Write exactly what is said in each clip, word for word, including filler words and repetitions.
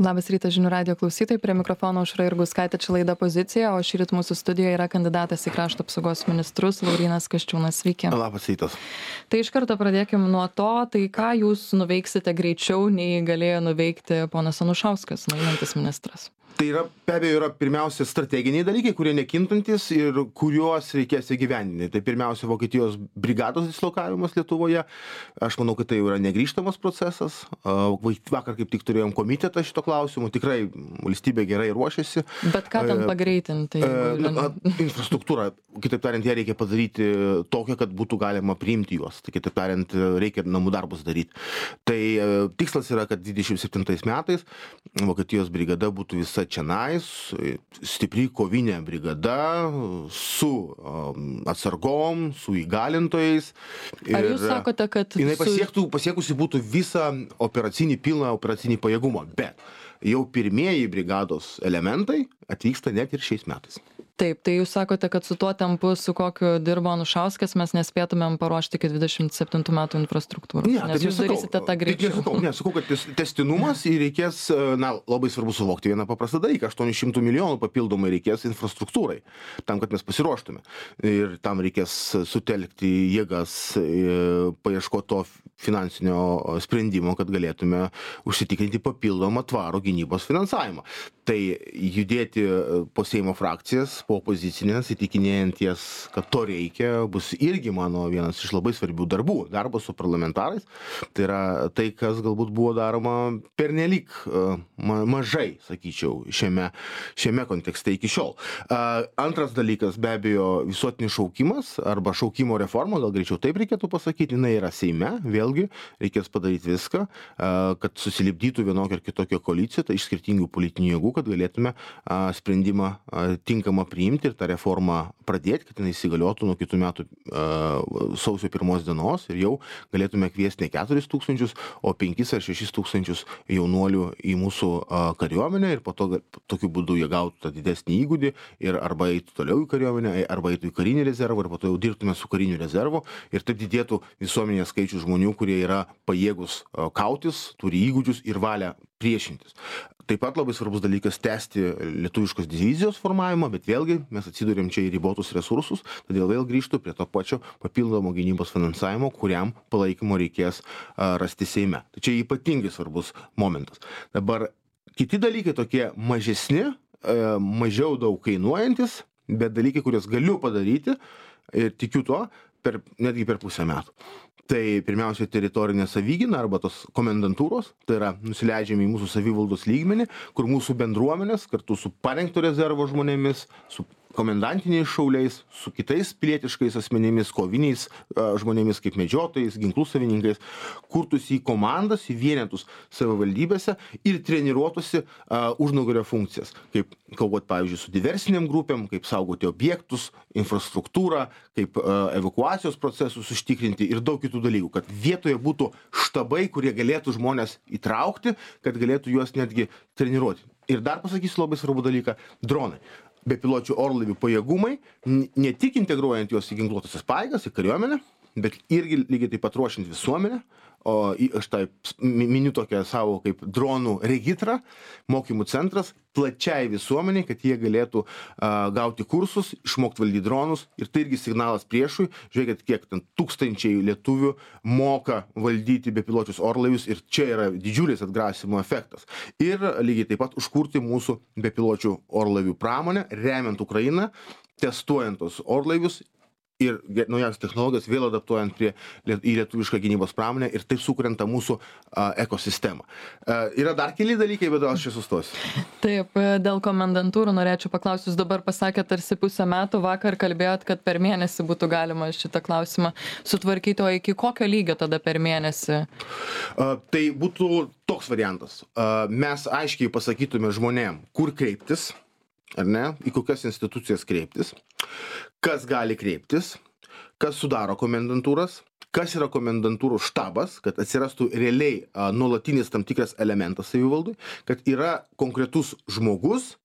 Labas rytas žinių radijo klausytojai, prie mikrofono Aušra Jurgauskaitė, čia laida Pozicija, o šįryt mūsų studijoje yra kandidatas į krašto apsaugos ministrus Laurynas Kasčiūnas. Sveiki. Labas rytas. Tai iš karto pradėkim nuo to, tai ką jūs nuveiksite greičiau, nei galėjo nuveikti ponas Anušauskas, einantis ministras? Tai yra, be abejo, yra pirmiausia strateginiai dalykai, kurie nekintantis ir kuriuos reikės įgyvendinti. Tai pirmiausia, Vokietijos brigados dislokavimas Lietuvoje. Aš manau, kad tai yra negrįžtamas procesas. Vakar kaip tik turėjom komitetą šito klausimu. Tikrai valstybė gerai ruošiasi. Bet ką ten pagreitinti? Na, infrastruktūra, kitaip tariant, ją reikia padaryti tokią, kad būtų galima priimti juos. Tai kitaip tariant, reikia namų darbus daryti. Tai tikslas yra, kad dvidešimt septintais metais Vokietijos brigada būtų visa čionais, stipri kovinė brigada su um, atsargom, su įgalintojais. Ar jūs sakote, kad... Jinai su... pasiektų, pasiekusi būtų visą operacinį, pilną operacinį pajėgumą, bet jau pirmieji brigados elementai atvyksta net ir šiais metais. Taip, tai jūs sakote, kad su tuo tempu, su kokiu dirbo Anušauskas, mes nespėtumėm paruošti iki dvidešimt septintų metų infrastruktūros. Ne, nes jūs nesakau, darysite tą greičiau. Nesakau, nesakau, kad tes, testinumas ir reikės, na, labai svarbu suvokti vieną paprastą dalyką. aštuonių šimtų milijonų papildomai reikės infrastruktūrai, tam, kad mes pasiruoštume. Ir tam reikės sutelkti jėgas, paieškoti to finansinio sprendimo, kad galėtume užsitikrinti papildomą tvarų gynybos finansavimą. Tai judėti po Seimo frakcijas, po opozicinės, įtikinėjant jas, kad to reikia, bus irgi mano vienas iš labai svarbių darbų. Darbas su parlamentarais. Tai yra tai, kas galbūt buvo daroma pernelyg ma mažai, sakyčiau, šiame, šiame kontekste iki šiol. Antras dalykas, be abejo, visuotinis šaukimas arba šaukimo reforma, gal greičiau taip reikėtų pasakyti, jinai yra Seime, vėlgi reikės padaryti viską, kad susilipdytų vienokią ar kitokią koaliciją, tai iš skirtingų politinių jėgų, kad galėtume sprendimą tinkamą priimti ir tą reformą pradėti, kad jinai įsigaliotų nuo kitų metų uh, sausio pirmos dienos ir jau galėtume kviesti ne keturis tūkstančius, o penkis ar šešis tūkstančius jaunuolių į mūsų uh, kariuomenę ir po to tokiu būdu jie gautų tą didesnį įgūdį ir arba eitų toliau į kariuomenę, arba eitų į karinį rezervą ir po to jau dirbtume su kariniu rezervu ir taip didėtų visuomenės skaičius žmonių, kurie yra pajėgus uh, kautis, turi įgūdžius ir valią priešintis. Taip pat labai svarbus dalykas tęsti lietuviškos divizijos formavimą, bet vėlgi mes atsidūrėm čia į ribotus resursus, todėl vėl grįžtų prie to pačio papildomo gynybos finansavimo, kuriam palaikymo reikės a, rasti Seime. Tai čia ypatingai svarbus momentas. Dabar kiti dalykai tokie mažesni, a, mažiau daug kainuojantis, bet dalykai, kuriuos galiu padaryti ir tikiu tuo, per, netgi per pusę metų. Tai pirmiausia teritorinė savigyna arba tos komendantūros, tai yra nusileidžiami į mūsų savivaldos lygmenį, kur mūsų bendruomenės kartu su parengto rezervo žmonėmis, su komendantiniais šauliais, su kitais pilietiškais asmenimis, koviniais a, žmonėmis kaip medžiotojais, ginklų savininkais, kurtųsi į komandas, į vienetus savivaldybėse ir treniruotųsi a, užnugario funkcijas, kaip kovoti, pavyzdžiui, su diversinėm grupėm, kaip saugoti objektus, infrastruktūrą, kaip a, evakuacijos procesus užtikrinti ir daug kitų dalykų, kad vietoje būtų štabai, kurie galėtų žmonės įtraukti, kad galėtų juos netgi treniruoti. Ir dar pasakysiu labai svarbų dalyką - dronai. Bepiločių orlaivių pajėgumai, ne tik integruojant juos į ginkluotąsias pajėgas, į kariuomenę, bet irgi lygiai taip pat ruošiant visuomenę, o aš tai miniu tokią savo kaip dronų regitrą, mokymų centras, plačiai visuomeniai, kad jie galėtų a, gauti kursus, išmokti valdyti dronus ir tai irgi signalas priešui, žiūrėkit, kiek ten tūkstančiai lietuvių moka valdyti bepiločius orlaivius ir čia yra didžiulis atgrasimo efektas. Ir lygiai taip pat užkurti mūsų bepiločių orlaivių pramonę, remiant Ukrainą, testuojant tos orlaivius ir naujas technologijas vėl adaptuojant prie, į lietuvišką gynybos pramonę ir taip sukuriant tą mūsų a, ekosistemą. A, yra dar keli dalykai, bet aš čia sustosiu. Taip, dėl komendantūrų norėčiau paklausti, jūs dabar pasakėt tarsi pusę metų, vakar kalbėjot, kad per mėnesį būtų galima šitą klausimą sutvarkyti, o iki kokio lygio tada per mėnesį? A, tai būtų toks variantas. A, mes aiškiai pasakytume žmonėm, kur kreiptis, ar ne, į kokias institucijas kreiptis, kas gali kreiptis, kas sudaro komendantūras, kas yra komendantūrų štabas, kad atsirastų realiai a, nuolatinis tam tikras elementas savivaldui, kad yra konkretus žmogus,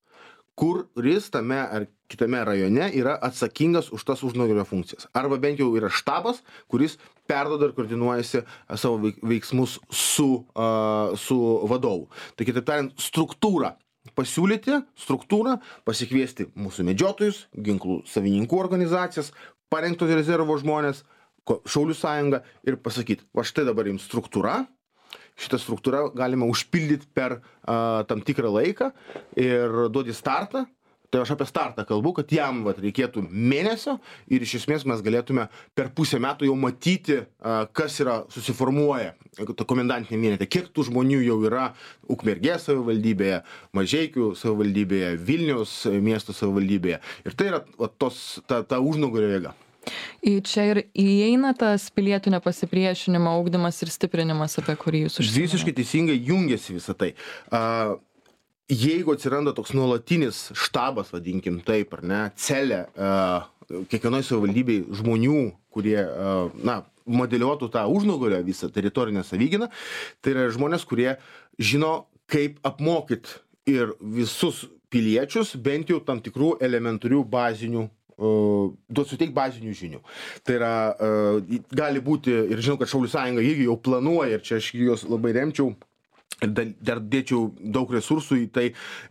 kuris tame ar kitame rajone yra atsakingas už tas užnugario funkcijas. Arba bent jau yra štabas, kuris perduoda ir koordinuojasi savo veiksmus su, uh, su vadovu. Tai kitaip tariant, struktūra. Pasiūlyti struktūrą, pasikviesti mūsų medžiotojus, ginklų savininkų organizacijas, parengto rezervo žmonės, Šaulių sąjungą ir pasakyti, va štai dabar jums struktūra, šitą struktūrą galima užpildyti per uh, tam tikrą laiką ir duoti startą. Tai aš apie startą kalbu, kad jam vat, reikėtų mėnesio ir iš esmės mes galėtume per pusę metų jau matyti, kas yra susiformuoja komendantinė vienetė, kiek tų žmonių jau yra Ukmergės savivaldybėje, Mažeikių savivaldybėje, Vilniaus miesto savivaldybėje. Ir tai yra vat, tos, ta, ta užnugario jėga. Į čia ir įeina tas pilietinio pasipriešinimo ugdymas ir stiprinimas, apie kurį jūs užsiminėte. Visiškai teisingai jungiasi visą tai. Uh, Jeigu atsiranda toks nuolatinis štabas, vadinkim taip, ar ne, celė, uh, kiekvienoje savivaldybėje žmonių, kurie, uh, na, modeliuotų tą užnugario visą teritorinę savyginą, tai yra žmonės, kurie žino, kaip apmokyti ir visus piliečius, bent jau tam tikrų elementarių bazinių Uh, duot suteik bazinių žinių. Tai yra, uh, gali būti, ir žinau, kad Šaulių sąjunga irgi jau planuoja, ir čia aš juos labai remčiau, ir dar dėčiau daug resursų į tai,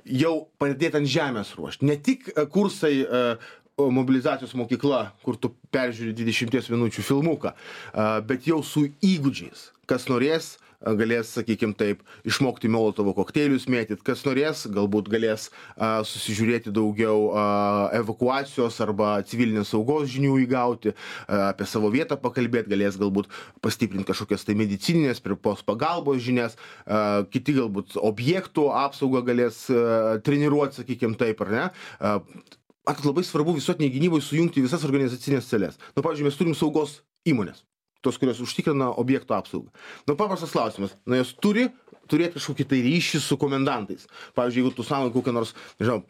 jau pradėti ant žemės ruošti. Ne tik kursai uh, mobilizacijos mokykla, kur tu peržiūri dvidešimties minučių filmuką, uh, bet jau su įgūdžiais. Kas norės, galės, sakykim taip, išmokti molotovo kokteilius mėtyt, kas norės, galbūt galės a, susižiūrėti daugiau a, evakuacijos arba civilinės saugos žinių įgauti, a, apie savo vietą pakalbėti, galės galbūt pastiprinti kažkokias tai medicininės, pirmos pagalbos žinias, a, kiti galbūt objektų apsaugą galės a, treniruoti, sakykim taip, ar ne. A, at labai svarbu visuotiniai gynybai sujungti visas organizacinės celės. Nu, pavyzdžiui, mes turim saugos įmonės, tos, kurios užtikrina objektų apsaugą. Nu, paprastas klausimas. Na, jos turi turėti kažkokį tai ryšį su komendantais. Pavyzdžiui, jeigu tu savo kokią nors, nežinau,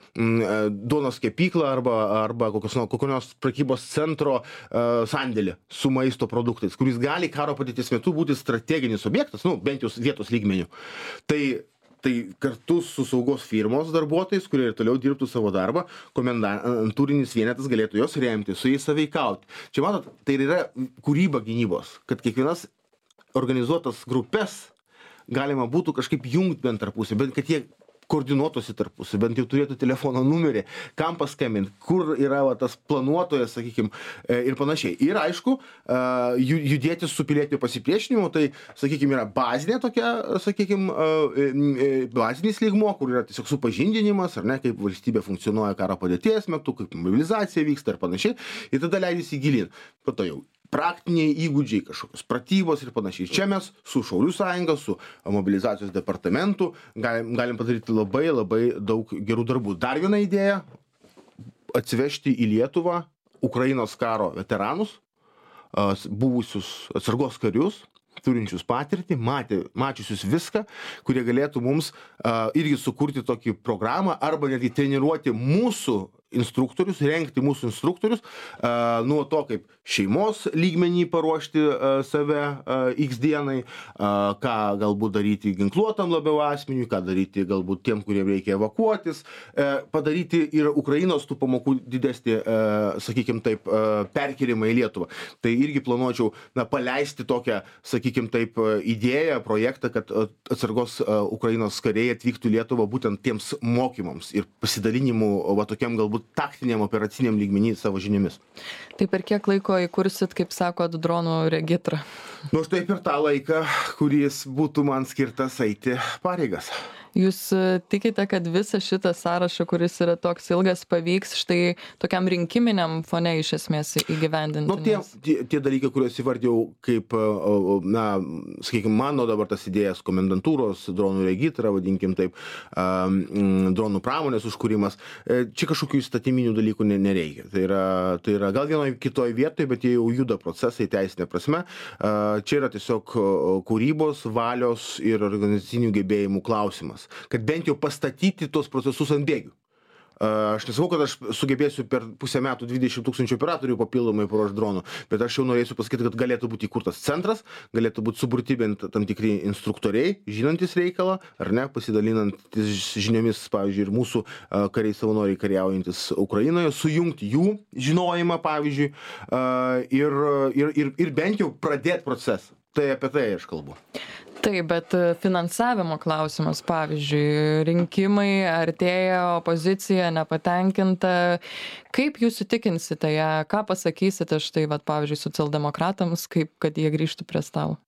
duonos kepyklą arba, arba kokios, kokio nors prekybos centro uh, sandėlį su maisto produktais, kuris gali karo padėties metu būti strateginis objektas, nu, bent jau vietos lygmenių. Tai Tai kartu su saugos firmos darbuotojais, kurie ir toliau dirbtų savo darbą, komendantūrinis vienetas galėtų jos remti, su jais sąveikauti. Čia matot, tai yra kūryba gynybos, kad kiekvienas organizuotas grupės galima būtų kažkaip jungti bent tarpusį, bent kad jie koordinuotųsi tarpusį, bent jau turėtų telefono numerį, kam paskambinti, kur yra va, tas planuotojas, sakykim, ir panašiai. Ir aišku, judėti su pilietiniu pasipriešinimu, tai, sakykim, yra bazinė tokia, sakykim, bazinis lygmuo, kur yra tiesiog supažindinimas, ar ne, kaip valstybė funkcionuoja karo padėties metu, kaip mobilizacija vyksta ir panašiai, ir tada leidžiasi gilin. Po to jau praktiniai įgūdžiai, kažkokios pratybos ir panašiai. Čia mes su Šaulių sąjunga, su mobilizacijos departamentu galim, galim padaryti labai labai daug gerų darbų. Dar viena idėja - atsivežti į Lietuvą Ukrainos karo veteranus, buvusius atsargos karius, turinčius patirtį, matė, mačiusius viską, kurie galėtų mums uh, irgi sukurti tokį programą arba netgi treniruoti mūsų instruktorius, rengti mūsų instruktorius, uh, nuo to, kaip šeimos lygmenį paruošti uh, save uh, X dienai, uh, ką galbūt daryti ginkluotam labiau asmeniui, ką daryti galbūt tiem, kuriem reikia evakuotis, uh, padaryti ir Ukrainos tų pamokų didesnį, uh, sakykim taip, uh, perkėlimą į Lietuvą. Tai irgi planuočiau, na, paleisti tokią, sakykim taip, idėją, projektą, kad atsargos uh, Ukrainos kariai atvyktų į Lietuvą būtent tiems mokymams ir pasidalinimų, va tokiam galbūt taktiniam, operaciniam lygmenį savo žiniomis. Tai per kiek laiko įkursit, kaip sakot, dronų regitrą? Nu, štai per tą laiką, kuris būtų man skirtas eiti pareigas. Jūs tikite, kad visą šitą sąrašą, kuris yra toks ilgas, pavyks štai tokiam rinkiminiam fone iš esmės įgyvendinti? Nu, tie, tie, tie dalykai, kuriuos įvardėjau kaip, na, sakykime, mano dabar tas idėjas komendantūros, dronų regitrą, vadinkim taip, dronų pramonės užkūrimas, čia kažkokių įstatyminių dalykų nereikia. Tai yra, tai yra gal vienoje kitoje vietoje, bet jie jau juda procesai teisinė prasme. Čia yra tiesiog kūrybos, valios ir organizacinių gebėjimų klausimas. Kad bent jau pastatyti tos procesus ant bėgių. Aš nesakau, kad aš sugebėsiu per pusę metų dvidešimt tūkstančių operatorių papildomai paruošti dronų, bet aš jau norėsiu pasakyti, kad galėtų būti įkurtas centras, galėtų būti suburti bent tam tikri instruktoriai, žinantis reikalą, ar ne, pasidalinantis žiniomis, pavyzdžiui, ir mūsų kariai savanoriai kariaujantis Ukrainoje, sujungti jų žinojimą, pavyzdžiui, ir, ir, ir, ir bent jau pradėti procesą. Tai apie tai aš kalbu. Taip, bet finansavimo klausimas, pavyzdžiui, rinkimai artėja, opozicija nepatenkinta. Kaip jūs įtikinsite ją, ką pasakysite štai, vat, pavyzdžiui, socialdemokratams, kaip kad jie grįžtų prie stalo?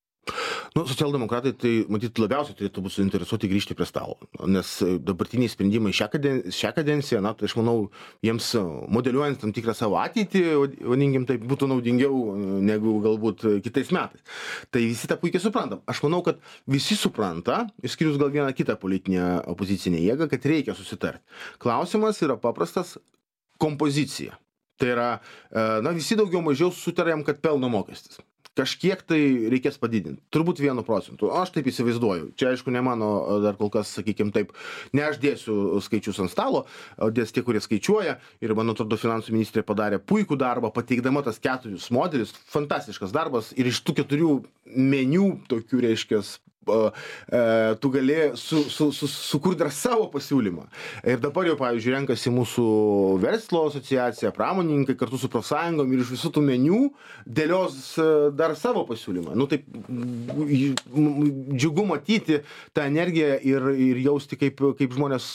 Nu, socialdemokratai tai, matyt, labiausiai turėtų būti suinteresuoti grįžti prie stalo, nes dabartiniai sprendimai šią kadenciją, šią kadenciją, na, tai aš manau, jiems modeliuojant tam tikrą savo ateitį, vadinkim, tai būtų naudingiau negu galbūt kitais metais. Tai visi tą puikiai suprantam. Aš manau, kad visi supranta, išskyrus gal vieną kitą politinę opozicinę jėgą, kad reikia susitarti. Klausimas yra paprastas - kompozicija. Tai yra, na, visi daugiau mažiau sutarėm, kad pelno mokestis. Kažkiek tai reikės padidinti. Turbūt vienu procentu. Aš taip įsivaizduoju. Čia, aišku, ne mano dar kol kas, sakykime taip, ne aš dėsiu skaičius ant stalo, o dės tie, kurie skaičiuoja. Ir, man atrodo, finansų ministrė padarė puikų darbą, pateikdama tas keturius modelius. Fantastiškas darbas. Ir iš tų keturių meniu, tokių, reiškias, tu gali su, su, su, sukurti dar savo pasiūlymą. Ir dabar jau, pavyzdžiui, renkasi mūsų verslo asociacija, pramonininkai kartu su profsąjungom ir iš visų tų meniu dėlios dar savo pasiūlymą. Nu, taip, džiugu matyti tą energiją ir, ir jausti, kaip, kaip žmonės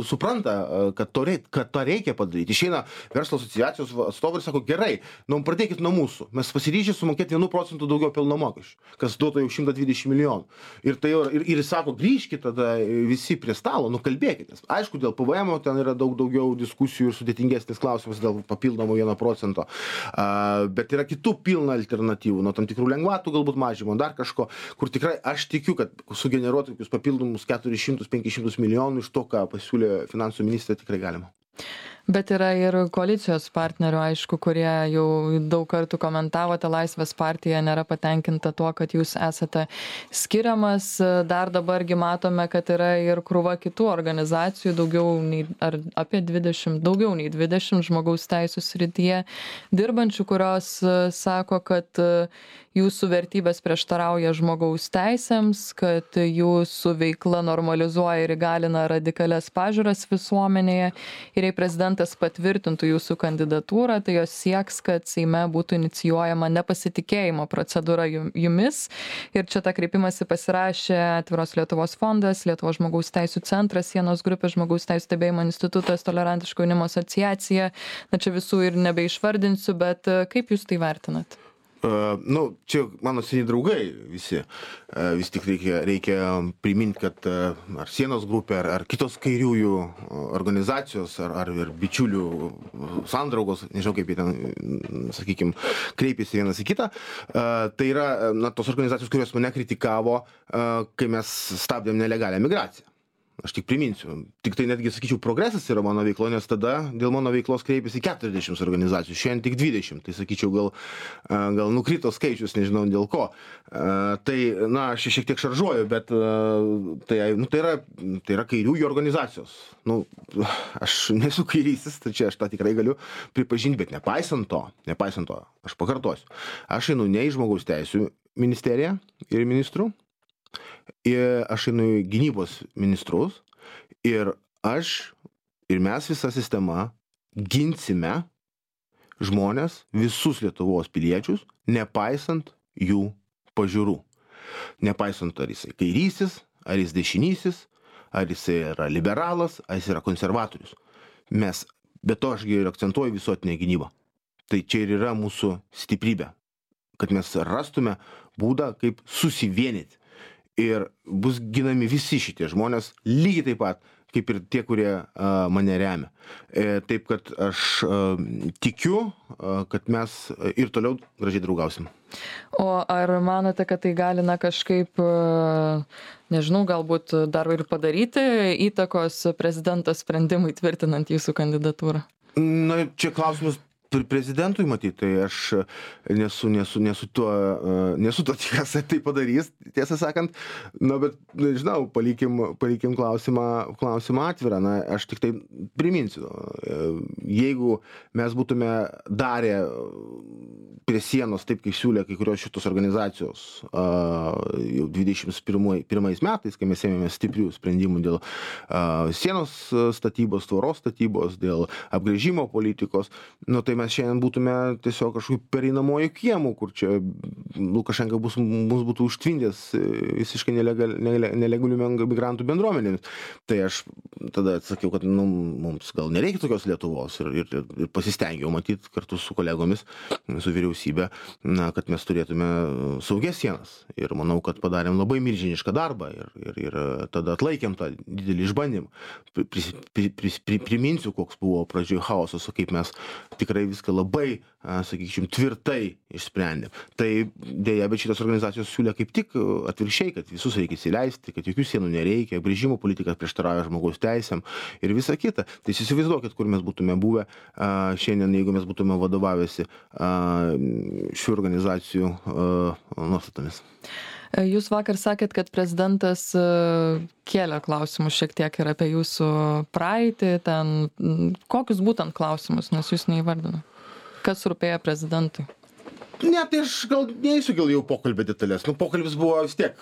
supranta, kad to, reik, kad to reikia padaryti. Išeina verslo asociacijos atstovai ir sako, gerai, nu, pradėkit nuo mūsų. Mes pasiryžę sumokėti vienu procentu daugiau pelno mokesčių, kas duotų jau šimtą dvidešimt milijonų. Ir tai jau, ir, ir sako, grįžkit tada visi prie stalo, nu kalbėkitės. Aišku, dėl P V M ten yra daug daugiau diskusijų ir sudėtingesnis klausimas dėl papildomo vieno procento. Uh, bet yra kitų pilna alternatyvų, nuo tam tikrų lengvatų galbūt mažymo, dar kažko, kur tikrai aš tikiu, kad sugeneruoti tokius papildomus keturis šimtus penkis šimtus milijonų iš to, ką pasiūlė finansų ministrė, tikrai galima. Bet yra ir koalicijos partnerių, aišku, kurie jau daug kartų komentavote, Laisvės partija nėra patenkinta tuo, kad jūs esate skiriamas. Dar dabargi matome, kad yra ir krūva kitų organizacijų, daugiau nei, ar apie dvidešimt, daugiau nei dvidešimt žmogaus teisų srityje dirbančių, kurios sako, kad jūsų vertybės prieštarauja žmogaus teisėms, kad jūsų veikla normalizuoja ir įgalina radikalias pažiūras visuomenėje. Ir jei prezidentas patvirtintų jūsų kandidatūrą, tai jos sieks, kad Seime būtų inicijuojama nepasitikėjimo procedūra jumis. Ir čia tą kreipimąsi pasirašė Atviros Lietuvos fondas, Lietuvos žmogaus teisų centras, Sienos grupė, Žmogaus teisų stebėjimo institutas, Tolerantiško jaunimo asociacija. Na čia visų ir nebeišvardinsiu, bet kaip jūs tai vertinat? Uh, nu, čia mano seni draugai visi. Uh, vis tik reikia, reikia priminti, kad uh, ar Sienos grupė, ar, ar kitos kairiųjų organizacijos, ar, ar ir bičiulių sandraugos, nežinau kaip jie ten, sakykime, kreipėsi vienas į kitą. Uh, tai yra na, tos organizacijos, kurios mane kritikavo, uh, kai mes stabdėm nelegalią migraciją. Aš tik priminsiu. Tik tai netgi, sakyčiau, progresas yra mano veiklo, nes tada dėl mano veiklos kreipėsi keturiasdešimt organizacijų, šiandien tik dvidešimt. Tai, sakyčiau, gal, gal nukrito skaičius, nežinau dėl ko. Tai, na, aš šiek tiek šaržuoju, bet tai, nu, tai, yra, tai yra kairiųjų organizacijos. Nu, aš nesu kairysis, tai čia aš tą tikrai galiu pripažinti, bet nepaisant to, nepaisant to, aš pakartosiu. Aš einu ne į žmogaus teisų ministeriją ir ministrų, ir aš einu į gynybos ministrus ir aš ir mes visa sistema ginsime žmonės, visus Lietuvos piliečius, nepaisant jų pažiūrų. Nepaisant, ar jisai kairysis, ar jis dešinysis, ar jisai yra liberalas, ar jis yra konservatorius. Mes, bet to aš ir akcentuoju visuotinę gynybą. Tai čia ir yra mūsų stiprybė, kad mes rastume būdą, kaip susivienyti. Ir bus ginami visi šitie žmonės, lygiai taip pat, kaip ir tie, kurie uh, mane remia. E, taip, kad aš uh, tikiu, uh, kad mes ir toliau gražiai draugausim. O ar manote, kad tai gali na, kažkaip, uh, nežinau, galbūt dar ir padaryti įtakos prezidento sprendimui tvirtinant jūsų kandidatūrą? Na, čia klausimas prezidentui matyti, tai aš nesu, nesu, nesu tuo, nesu tuo tikras, tai padarys, tiesą sakant, na, bet, nežinau, palikim, palikim klausimą, klausimą atvirą, na, aš tik tai priminsiu, jeigu mes būtume darę prie sienos taip, kaip siūlė kai kurios šitos organizacijos jau dvidešimt pirmais metais, kai mes ėmėme stiprių sprendimų dėl sienos statybos, tvoros statybos, dėl apgręžimo politikos, nu tai mes šiandien būtume tiesiog kažkokiu pereinamojų kiemų, kur čia Lukašenka bus, mus būtų užtvindęs visiškai nelegal, nelegalių migrantų bendruomenėmis. Tai aš tada atsakiau, kad nu, mums gal nereikia tokios Lietuvos ir, ir, ir pasistengiau matyti kartu su kolegomis, su vyriausybė, na, kad mes turėtume saugias sienas. Ir manau, kad padarėm labai milžinišką darbą ir, ir, ir tada atlaikėm tą didelį išbandymą. Pris, pris, pris, priminsiu, koks buvo pradžioje chaosas, kaip mes tikrai viską labai, sakykim, tvirtai išsprendėm. Tai dėja, bet šitas organizacijos siūlė kaip tik atvirkščiai, kad visus reikia įsileisti, kad jokių sienų nereikia, apgręžimo politika prieštarauja žmogaus teisėm ir visa kita. Tai įsivaizduokit, kur mes būtume buvę šiandien, jeigu mes būtume vadovavęsi šių organizacijų nuostatomis. Jūs vakar sakėt, kad prezidentas kėlė klausimus šiek tiek ir apie jūsų praeitį, ten kokius būtent klausimus, nes jūs neįvardino. Kas rūpėjo prezidentui? Ne, tai aš gal neįsiu gal jau pokalbį detalės. Nu, pokalbis buvo vis tiek,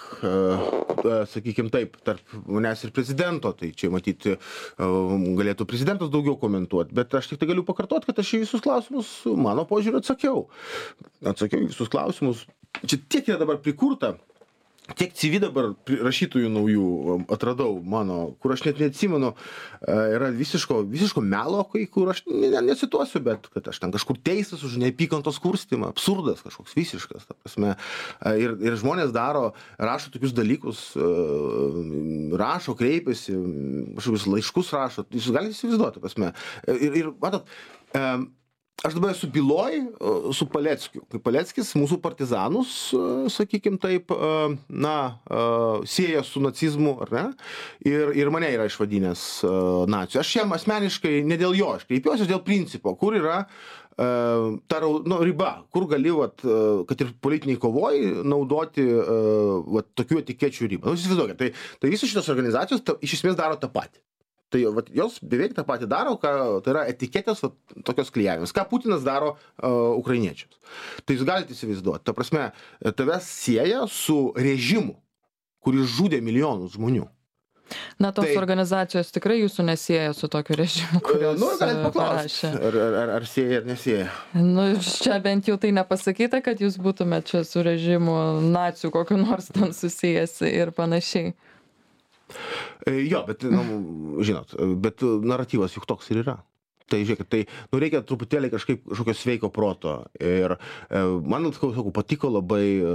sakykim taip, tarp manęs ir prezidento, tai čia matyti galėtų prezidentas daugiau komentuoti, bet aš tik tai galiu pakartoti, kad aš į visus klausimus mano požiūrį atsakiau. Atsakiau į visus klausimus. Čia tiek yra dabar prikurta, tiek C V dabar rašytojų naujų atradau mano, kur aš net neatsimenu, yra visiško, visiško melo, kai kur aš necituosiu, bet kad aš ten kažkur teistas už neapykantos kurstymą, absurdas kažkoks visiškas, ta prasme. Ir, ir žmonės daro, rašo tokius dalykus, rašo, kreipiasi, kažkokius laiškus rašo, jūs galite įsivaizduoti, ta prasme. Ir, ir matot, aš dabar esu byloj su Paleckiu. Kai Paleckis mūsų partizanus, sakykim taip, na, sieja su nacizmu, ar ne? Ir, ir mane yra išvadinęs naciu. Aš jam asmeniškai, ne dėl jo, aš kreipiuosi dėl principo, kur yra ta nu, riba, kur gali, vat, kad ir politiniai kovoj, naudoti vat, tokių etikečių ribą. Nu, įsivaizduokit, tai, tai visos šitos organizacijos ta, iš esmės daro tą patį. Tai vat, jos beveik tą patį daro, ką, tai yra etiketės vat, tokios klijavimas. Ką Putinas daro uh, ukrainiečiams. Tai jūs galite įsivaizduoti. Ta prasme, tavęs sieja su režimu, kuris žudė milijonus žmonių. Na, tos tai, organizacijos tikrai jūsų nesieja su tokiu režimu, kurios nu, parašė. Ar, ar, ar sieja, ar nesieja? Nu, čia bent jau tai nepasakyta, kad jūs būtumėte čia su režimu nacių kokiu nors ten susijęs ir panašiai. Jo, bet, nu, žinot, bet naratyvas juk toks ir yra. Tai žiūrėkit, tai nu, reikia truputėlį kažkaip kažkokio sveiko proto. Ir e, man, sakau, patiko labai e,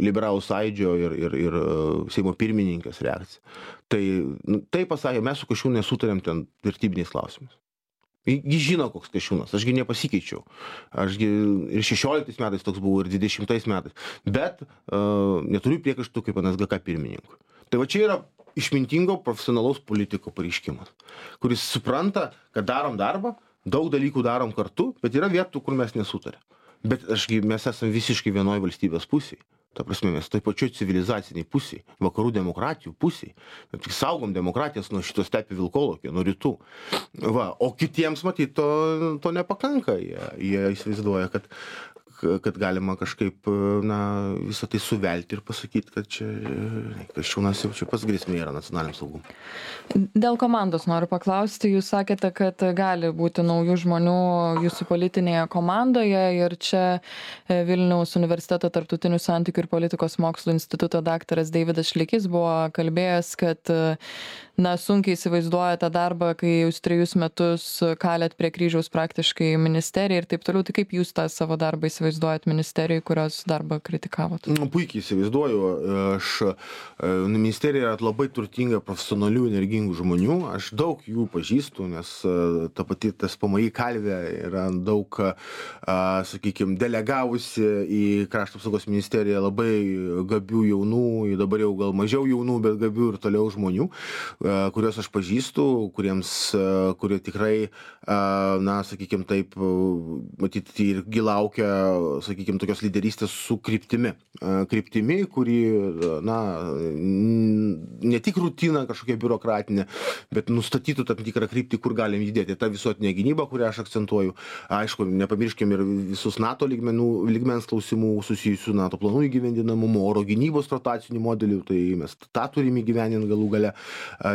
liberalų sąjūdžio ir, ir, ir Seimo pirmininkės reakcija. Tai, nu, tai pasakė, mes su Kasčiūnu nesutarėm ten vertybiniais klausimais. Jis žino, koks Kasčiūnas, ašgi nepasikeičiau. Ašgi ir šešioliktais metais toks buvau, ir dvidešimtais metais. Bet uh, neturiu priekaištų kaip N S G K pirmininkui. Tai va čia yra išmintingo profesionalaus politiko pareiškimas, kuris supranta, kad darom darbą, daug dalykų darom kartu, bet yra vietų, kur mes nesutarėm. Bet ašgi mes esame visiškai vienoj valstybės pusėje. Ta prasme, mes toj pačioj civilizaciniai pusėje, vakarų demokratijų pusėje. Tik saugom demokratijas nuo šito stepių vilkolokio, nuo rytų. Va, o kitiems, matyt, to, to nepakanka. Jie, jie įsivaizduoja, kad, kad galima kažkaip, na, visą tai suvelti ir pasakyti, kad čia Kasčiūnas jau čia pas grėsmė yra nacionaliniam saugumui. Dėl komandos noriu paklausti. Jūs sakėte, kad gali būti naujų žmonių jūsų politinėje komandoje ir čia Vilniaus universiteto tarptautinių santykių ir politikos mokslų instituto daktaras Deividas Šlekys buvo kalbėjęs, kad na, sunkiai įsivaizduoja tą darbą, kai jūs trejus metus kalėt prie kryžiaus praktiškai ministeriją ir taip toliau. Tai kaip jūs tą savo darbą įsivaizduojate? įsivaizduojat ministerijai, kurios darbą kritikavot? Nu, puikiai įsivaizduoju. Aš, ministerija yra labai turtinga profesionalių, energingų žmonių. Aš daug jų pažįstu, nes ta pati tas P M I kalvė yra daug, sakykime, delegavusi į Krašto apsaugos ministeriją labai gabių jaunų, dabar jau gal mažiau jaunų, bet gabių ir toliau žmonių, kuriuos aš pažįstu, kuriems, kurie tikrai, na, sakykime, taip, matyti irgi laukia, sakykime, tokios lyderystės su kryptimi. Kryptimi, kuri, na, ne tik rutina kažkokia biurokratinė, bet nustatytų tam tikrą kryptį, kur galim judėti. Ta visuotinė gynyba, kurią aš akcentuoju. Aišku, nepamirškim ir visus NATO lygmenų, lygmens klausimų susijusių NATO planų įgyvendinamumu, oro gynybos rotacinių modelių, tai mes tą turime įgyvendinti galų gale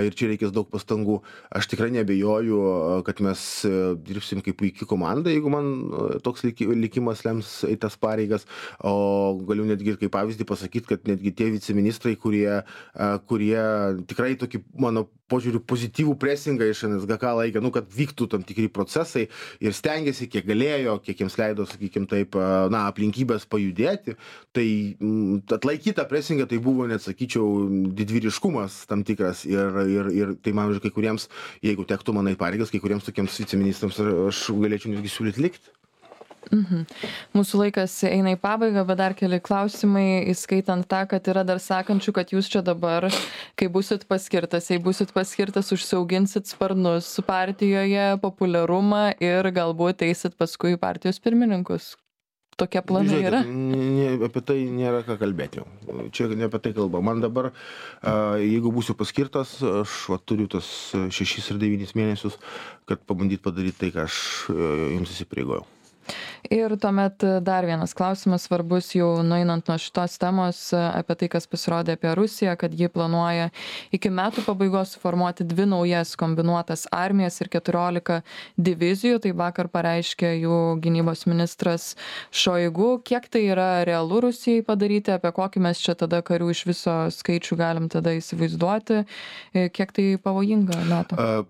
ir čia reikės daug pastangų. Aš tikrai neabejoju, kad mes dirbsim kaip puikiai komanda, jeigu man toks likimas lems į tas pareigas, o galiu netgi kaip pavyzdį pasakyti, kad netgi tie viceministrai, kurie, kurie tikrai tokį, mano požiūrių, pozityvų presingą iš N S G K laikė, nu, kad vyktų tam tikri procesai ir stengiasi, kiek galėjo, kiek jiems leido, sakykime, taip, na, aplinkybės pajudėti, tai atlaikyti tą presingą, tai buvo, net sakyčiau, didvyriškumas tam tikras ir, ir, ir tai man, kai kuriems, jeigu tektų manai pareigas, kai kuriems tokiems viceministrams aš galėčiau netgi siūlyti likti. Mhm. Mūsų laikas eina į pabaigą, bet dar keli klausimai, įskaitant tą, kad yra dar sakančių, kad jūs čia dabar, kai būsit paskirtas, jei būsit paskirtas, užsiauginsit sparnus partijoje, populiarumą ir galbūt eisit paskui partijos pirmininkus. Tokie planai yra? Žiūrėkit, apie tai nėra ką kalbėti. Čia ne apie tai kalba. Man dabar, jeigu būsiu paskirtas, aš va, turiu tas šešis ir devynis mėnesius, kad pabandyt padaryti tai, ką aš jums įsipareigojau. Ir tuomet dar vienas klausimas svarbus, jau nueinant nuo šitos temos, apie tai, kas pasirodė apie Rusiją, kad ji planuoja iki metų pabaigos suformuoti dvi naujas kombinuotas armijas ir keturiolika divizijų. Tai vakar pareiškė jų gynybos ministras Šoigu. Kiek tai yra realu Rusijai padaryti, apie kokį mes čia tada karių iš viso skaičių galim tada įsivaizduoti, kiek tai pavojinga NATO?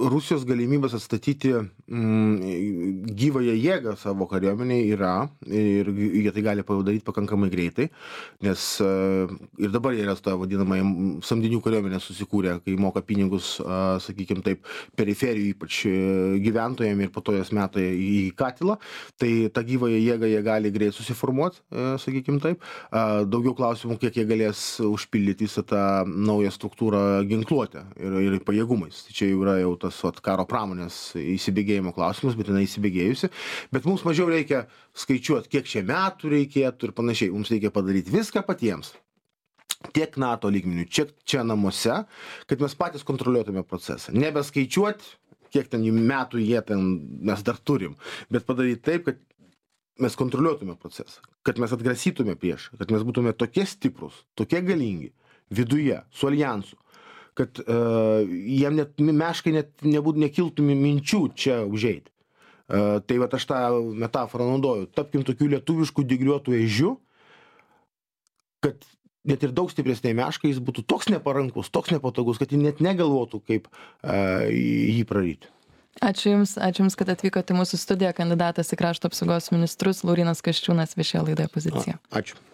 Rusijos galimybės atstatyti mm, gyvąją jėgą savo kariuomeniai yra ir jie tai gali padaryti pakankamai greitai, nes ir dabar jie yra tą vadinamą samdinių kariuomenę susikūrę, kai moka pinigus, sakykime taip, periferijų ypač gyventojams ir po to jas meta į katilą, tai tą gyvąją jėgą jie gali greit susiformuoti, sakykime taip. Daugiau klausimų, kiek jie galės užpildyti visą tą naują struktūrą ginkluotę ir, ir pajėgumais. Tai čia jau yra jau tas vat, karo pramonės įsibėgėjimo klausimas, bet jinai įsibėgėjusi. Bet mums mažiau reikia skaičiuoti, kiek čia metų reikėtų ir panašiai. Mums reikia padaryti viską patiems. Tiek NATO lygmenių, tiek čia namuose, kad mes patys kontroliuotume procesą. Nebeskaičiuoti, kiek ten metų jie ten mes dar turim, bet padaryti taip, kad mes kontroliuotume procesą, kad mes atgrasytume priešą, kad mes būtume tokie stiprus, tokie galingi viduje, su alijansu, kad uh, jiem net meškai net nebūt, nekiltų minčių čia užeiti. Uh, tai va aš tą metaforą naudoju. Tapkim tokių lietuviškų dygliuotų ežių, kad net ir daug stipresnė meška jis būtų toks neparankus, toks nepatogus, kad jis net negalvotų, kaip uh, jį praryti. Ačiū Jums, ačiū Jums, kad atvykote į mūsų studiją. Kandidatas į Krašto apsaugos ministrus Laurynas Kasčiūnas viešėjo laidoje Pozicija. Ačiū.